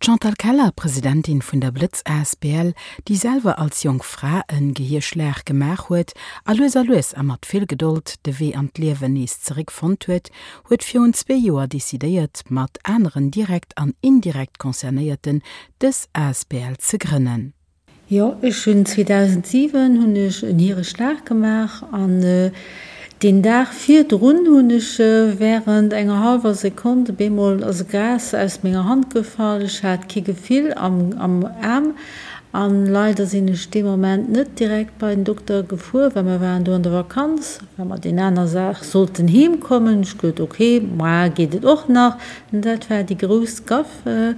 D'Chantal Keller, Presidentin vun der Blëtz asbl, déi selwer als jonk Fra en Gehierschlag gemaach huet a lues a lues a mat vill Gedold de Wee an d'Liewen nees zeréck fonnt huet, huet virun zwee Joer decidéiert mat aneren direkt an indirekt Concernéierten dës asbl ze grënnen. Jo, ech hunn 2007 hunn ech en Hiereschlag gemaach an deen Dag virdrun hunn ech während enger hallwer Sekonn op eemol ass e Gras aus menger Hand gefall. Ech hat kee Gefill am am Aarm an leider sinn ech dee Moment net direkt bei den Dokter gefuer, well mer waren do an der Vakanz, well mer deen aner Dag sollten heem kommen. Ech geduet, ok, moar geet et och nach. An dat war déi grouss Gaffe.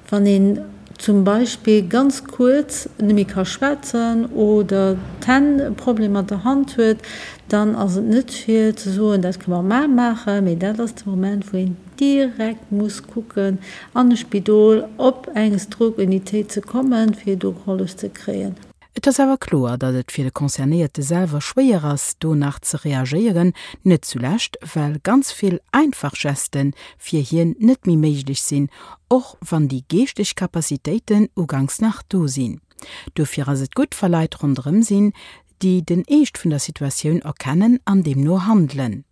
Wann een zum Beispill ganz kuerz net méi ka schwätzen oder d'Hänn e Problem mat der Hand huet, dann ass et net fir ze soen, dat kënne mer mar maachen, mee dat ass de Moment, wou een direkt muss kucken an e Spidol op eng Stroke-Unitéit ze kommen, fir do gehollef ze kréien. Et ass awer kloer, datt et fir de Concernéierte selwer schwéier ass, do nach ze reagéieren, net zulescht, well ganz vill einfach Geste fir hien net méi méiglech sinn, och wann déi geeschteg Capacitéiten uganks nach do sinn. Dofir ass et gutt, wa Leit ronderëm sinn, déi den Eescht vun der Situatioun erkennen an deemno handelen.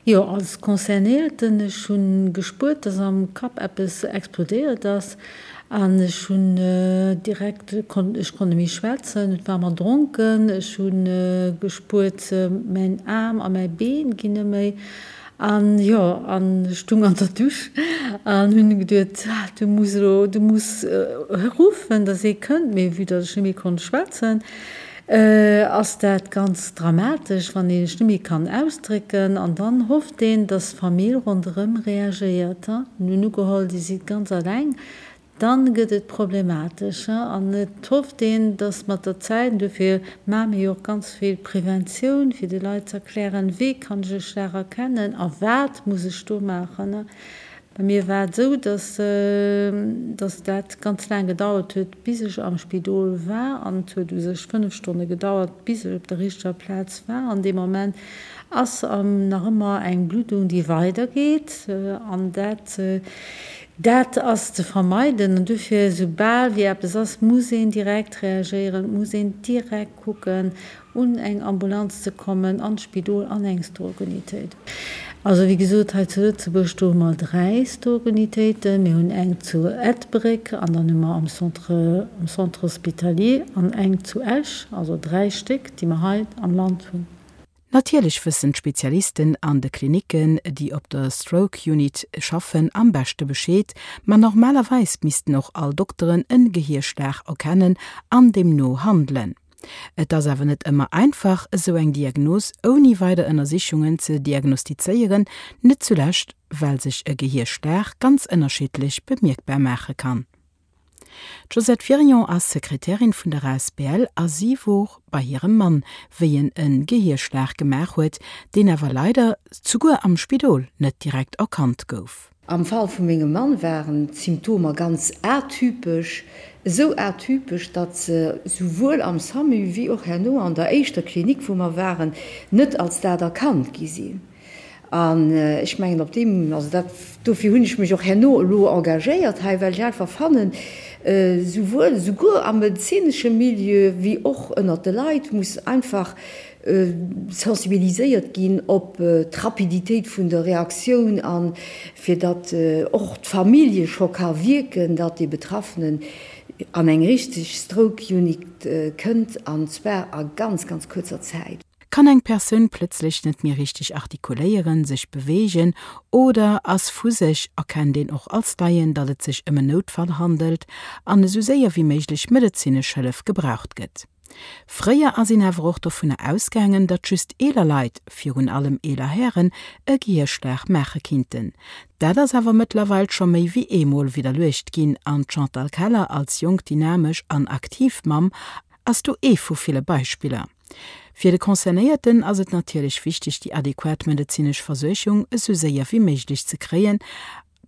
Jo, als Concernéierten, ech hu gespuert, dass am Kapp eppes explodéiert ass an ech hunn direkt, ech konnt net méi schwätzen, et war mer dronken, ech hu gespuert, mäin Aarm a mäi Been ginn net méi an jo, an ech stung an der Dusch an hunn geduet, du muss elo, du muss ruffen, dass ee kënnt, mee vue dass ech net méi konnt schwätzen, Ass dat ganz dramatesch, wann een sech net méi kann ausdrécken an dann hofft een, dass d'Famill ronderëm reagéiert. Mir hunn ugeholl, Dir sidd ganz alleng, dann gëtt et problematesch an et hofft een, dass mat der Zäit, an dofir maache mir jo och ganz vill Preventioun, fir de Leit ze erklären, wéi kann ech e Schlag erkennen a wat muss ech do maachen. Bei mir war et esou, dass dass dat ganz laang gedauert huet, bis ech am Spidol war. An et huet u sech 5 Stonne gedauert, bis ech op der richteger Plaz war. An dee Moment ass nach ëmmer eng Bluddung, déi weidergeet. An dat dat ass ze vermeiden. An dofir, esoubal wéi eppes ass, muss een direkt reagéieren, et muss een direkt kucken, un eng Ambulanz ze kommen, an d'Spidol, an eng Stroke-Unitéit. Also wéi gesot, hei zu Lëtzebuerg, do hu mer 3 Stroke-Unitéiten. Mir hunn eng zu Ettelbréck an dann hu mer am Centre, am Centre hospitalier an eng zu Esch, also 3 Stéck, déi mer hei am Land hunn. Natierlech wëssen d'Spezialisten an de Klinicken, déi op der Stroke Unit schaffen, am beschte Bescheed, ma normalerweis missten och all Dokteren en Gehierschlag erkennen an deemno handelen. Et ass awer net ëmmer einfach, esou eng Diagnos ouni weider Ënnersichungen ze diagnostizéieren, net zulescht well sech e Gehierschlag ganz ënnerschiddlech bemierkbar maache kann. D'Josette Wirion ass Sekretärin vun der asbl a si wor bei hirem Mann, wéi en e Gehierschlag gemaach huet, deen awer leider souguer am Spidol net direkt erkannt gouf. Am Fall vu mengem Mann waren d'Symptomer ganz atypesch, esou atypesch, datt se souwuel am SAMU wéi och herno an der éischter Klinik, wou mer waren, net als dat erkannt gi sinn. An ech mengen, op deem, also dat, dofir hunn ech mech och herno elo engagéiert hei, well ech einfach fannen, souwuel, souguer am medezinesche Milieu wéi och ënnert de Leit muss einfach sensibiliséiert ginn op d'Rapiditéit vun der Reaktioun a fir datt och d'Famillje scho ka wierken, datt dee Betraffenen an eng richteg Stroke Unit kënnt, an zwar a ganz, ganz kuerzer Zäit. Kann eng Persoun plëtzlech net méi richteg artikuléieren, sech beweegen oder ass vu sech, erkennt een och als Laien, datt et sech ëm en Noutfall handelt an esou séier wéi méiglech medezinesch Hëllef gebraucht gëtt. Fréier ass een awer och dovunner ausgaangen, datt just eeler Leit, virun allem eeler Hären, e Gehierschlag maache kinnten. Dat ass awer mëttlerweil scho méi wéi eemol widderluecht ginn an d'Chantal Keller als jonk, dynamesch an aktiv Mamm ass do ee vu ville Beispiller. Fir de Concernéierten ass et natierlech wichteg, déi adequat medezinesch Versuergung esou séier wéi méiglech ze kréien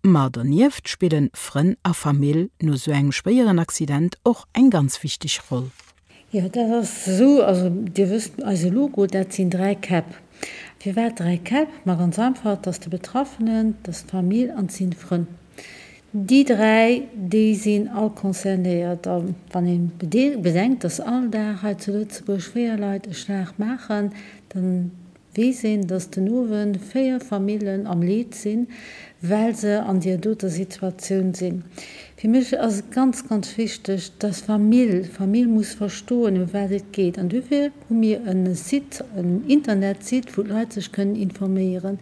Ma donieft spillen Frënn a Famill no sou engem schwéieren Accident och eng ganz wichteg Roll. Jo, dat ass esou. Also Dir wësst, eise Logo, dat sinn 3 Käpp. Firwat 3 Käpp? Ma ganz einfach, et ass de Betraffenen, et ass d'Famill an et sinn d'Frënn. Déi 3, déi sinn all concernéiert. A wann ee bedenkt, dass all Dag hei zu Lëtzebuerg 4 Leit e Schlag maachen, da weess een, dass den Owend 4 Famillen am Leed sinn, well se an deer doter Situatioun sinn. Fir mech ass et ganz, ganz wichteg, dass d'Famill, d'Famill muss verstoen, ëm wat et geet. An dofir hu mir e Site, en Internetsite, wou d'Leit sech kënnen informéieren.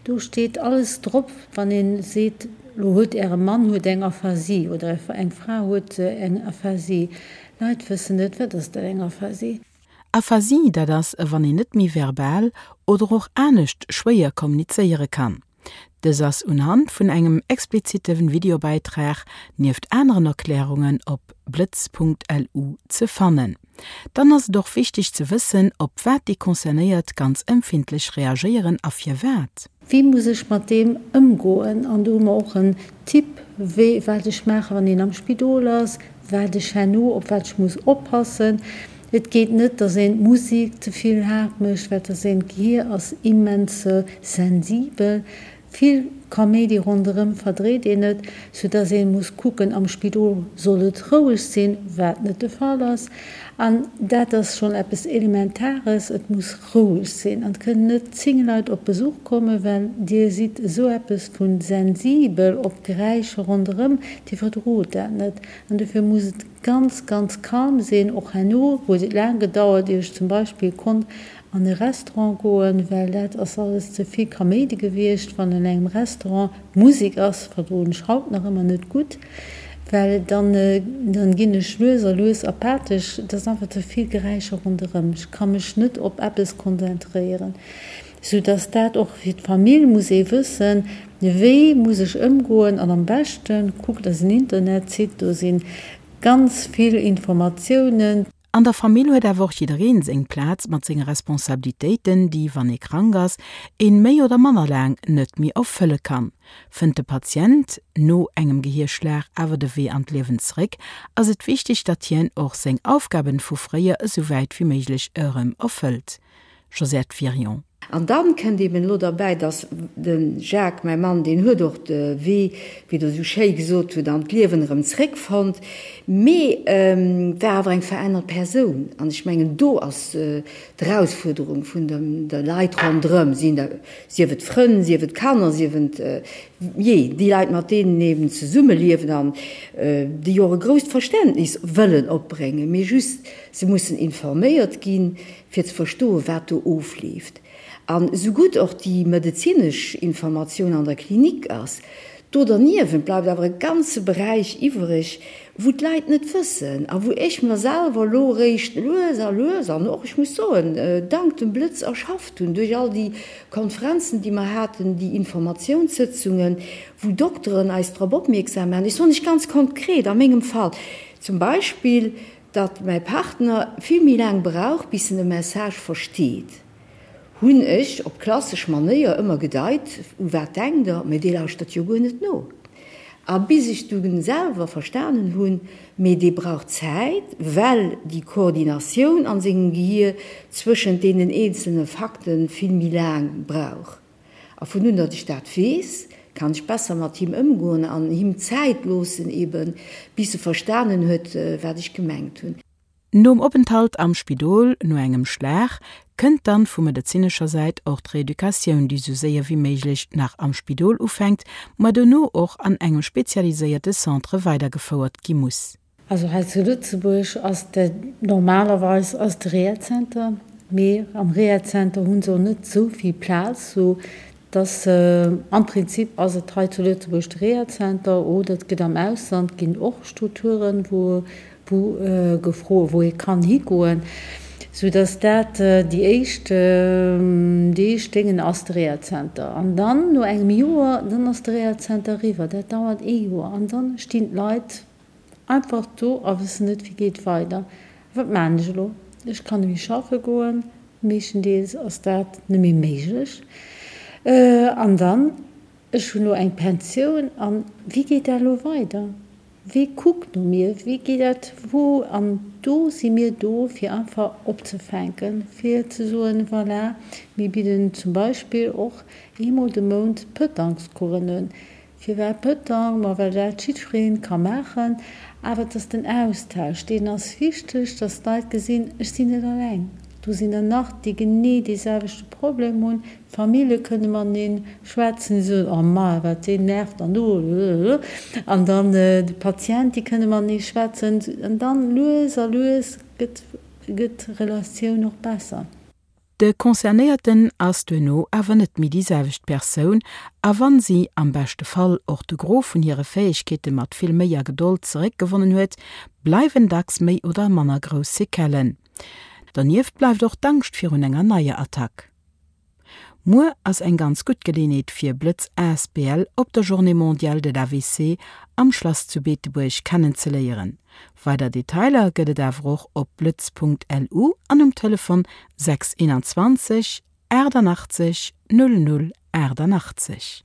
Do steet alles drop, wann ee seet, Lo huet Äre Mann huet eng Aphasie oder eng Fra huet eng Aphasie. Leit wëssen net, wat ass dat eng Aphasie? Aphasie, dat ass, wann een net méi verbal oder och anescht schwéier kommunizéiere kann. Dës ass unhand vun engem explizitte Videobäitrag nieft aneren Erklärungen op blëtz.lu ze fannen. Dann ass et och wichteg ze wëssen, op wat déi Concernéiert ganz empfindlech reagéieren a firwat. Wéi muss ech mat deem ëmgoen? An do hu mer och en Tipp, wéi, wat ech maachen, wann een am Spidol ass, wat ech herno, op wat ech muss oppassen. Et geet net, dass een d'Musek ze vill haart mécht, well dass een, d'Gehier ass immens sensibel. Vill Kaméidi ronderëm verdréit een net, sou dass ee muss kucken, am Spidol soll et roueg sinn, wat net de Fall ass. An dat ass schonn eppes Elementares, et muss roueg sinn an et kënnen net 10 Leit op Besuch kommen, well Dir sidd esou eppes vu sensibel op d'Geräischer ronderëm, Dir verdrot dat net. An dofir muss et ganz, ganz calm sinn. Och herno huet et laang gedauert, ier ech zum Beispill konnt an e Restaurant goen, well dat ass alles ze vill Kaméidi gewiescht. Wann an engem Restaurant Musek ass, verdroen ech haut nach ëmmer net gutt, well dann dann ginn ech lues a lues apathesch. Et ass einfach ze vill Geräischer ronderëm. Ech ka mech net op eppes konzentréieren. Sou dass dat och fir d'Famill muss ee wëssen, wéi muss ech ëmgoen. An am beschte kuckt eisen Internetsite, do si ganz vill Informatiounen. An der Famill huet awer och jiddereen seng Plaz mat senge Responsabilitéiten, déi, wann ee krank ass, een méi oder manner laang net méi erfëlle kann. Fënnt de Patient no engem Gehierschlag awer de Wee an d'Liewen zeréck, ass et wichteg, datt hien och seng Aufgaben vu fréier esou wäit wéi méiglech erëm erfëllt. Josette Wirion. An dann kënnt eben elo derbäi, dass de Jacques, mäi Mann, deen huet och de Wee, wéi Der esou schéi gesot hutt, an d'Liewen erëm zréckfonnt, mee war awer eng verännert Persoun. An ech mengen, do ass d'Erausfuerderung vun de Leit ronderëm, sief et Frënn, sief et Kanner, sief et, jee, déi Leit, mat deenen een eben zesummeliewen an déi och e grousst Verständnis wëllen opbréngen, mee just se mussen informéiert ginn, fir ze verstoen, wat do ofleeft. An esou gutt och déi medezinesch Informatioun an der Klinik ass, do derniewent bleift awer e ganze Beräich iwwereg, wou d'Leit net wëssen a wou ech mer selwer elo eréischt lues a lues an och, ech muss soen, dank dem Blëtz erschafft hunn, duerch all déi Konferenzen, déi mer haten, déi Informatiounssëtzungen, wou Dokteren eis drop opmierksam maachen. Ech soen lech ganz konkret a mengem Fall zum Beispill, Datt mäi Partner vill méi laang brauch bis en e Message versteet, hunn ech op klassesch Manéier ëmmer gedeit, U wat denkt der? Mee dee lauschtert jo guer net no. A bis ech dunn selwer verstanen hunn, mee dee brauch Zäit, well déi Koordinatioun an sengem Gehier zwëschent deenen eenzelne Fakte vill méi laang brauch. A vun un datt ech dat weess, kann ech besser mat him ëmgoen an him Zäit loossen, eben bis e verstanen huet, wat ech gemengt hunn. Nom Openthalt am Spidol no engem Schlag kënnt dann vu medezinescher Säit och d'Reeducatioun, déi sou séier wéi méiglech nach am Spidol ufänkt, ma dono och an engem spezialiséierte Centre weidergefouert gi muss. Also hei zu Lëtzebuerg ass de normalerweis ass de Rehazenter, mee am Rehazenter hu se och net esou vill Plaz, sou dass am Prinzip ass et hei zu Lëtzebuerg de Rehazenter oder et gëtt am Ausland ginn och Strukturen, wou wou gefro wou ee kann higoen, sou dass dat déi éischt déi éischt Déngen ass de Rehazenter. An dann no engem Joer, dann ass de Rehazenter eriwwer, dat dauert ee Joer an dann stinn d'Leit Einfach do a wëssen net wéi geet weider. Wat maan ech elo? Ech kann nemmi schaffe goen, meeschtendeels ass dat nemmi méiglech. An dann, ech hunn elo eng Pensioun an wéi geet dat elo weider? Wee kuckt no mir? Wéi geet dat wou? An do si mir do fir einfach opzefänken, fir ze soen, voilà, mir bidden zum Beispill och eemol de Mount Pëtangscoursen un. Firwat Pëtang? Ma well dat jiddwereen ka maachen. Awer et ass den Austausch, deen ass wichteg, dass d'Leit gesinn, ech sinn net alleng, do sinn der nach, déi genee dee selwechte Problem hunn. D'Famillje kënne matenee schwätzen, déi soen, oh ma wat deen nervt an do an dann de Patient, déi kënne matenee schwätzen an dann lues a lues gëtt gëtt d'Relatioun och besser. De Concernéierten ass duerno awer net méi déi selwecht Persoun, a wann si am beschte Fall och de Gros vun hire Fäegkeete mat vill Méi a Gedold zeréckgewonnen huet, bleiwen dacks méi oder manner grouss Sequellen. Donieft bleift och d'Angscht virun enger neier Attack. Muer ass eng ganz gutt Geleenheet fir Blëtz asbl op der Journée mondiale de l'AVC am Schlass zu Beetebuerg kennenzeléieren. Weider Detailer gëtt et awer och op blëtz.lu an um Telefon 6 21 88 00 88.